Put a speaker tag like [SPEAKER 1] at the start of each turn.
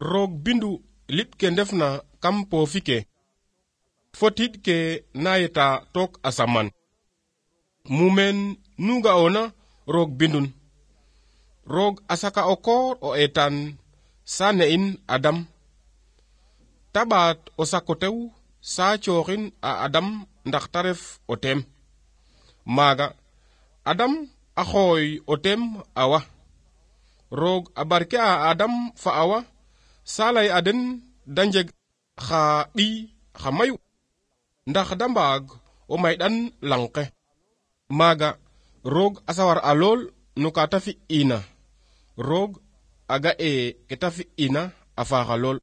[SPEAKER 1] roog bindu liɓ ke ndefna kam poofi ke fo tiiɗ ke na yeta took asaman. Mumeen nu ga'oona roog bindun. Roog a saka o koor o eetaan saa ne'in Adam. Ta ɓaat o sako tew saa cooxin a Adam ndax ta ref o teem. Maaga Adam a xooy o teem Awa. Roog a barke a Adam fa Awa saa lay a den da njeg xa ɓiy xa mayu ndax da mbaag o mayɗan lang ke. Maaga roog a sawar a lool no ka ta fi'ina. Roog a ga'e ke ta fi'ina a faaxa lool.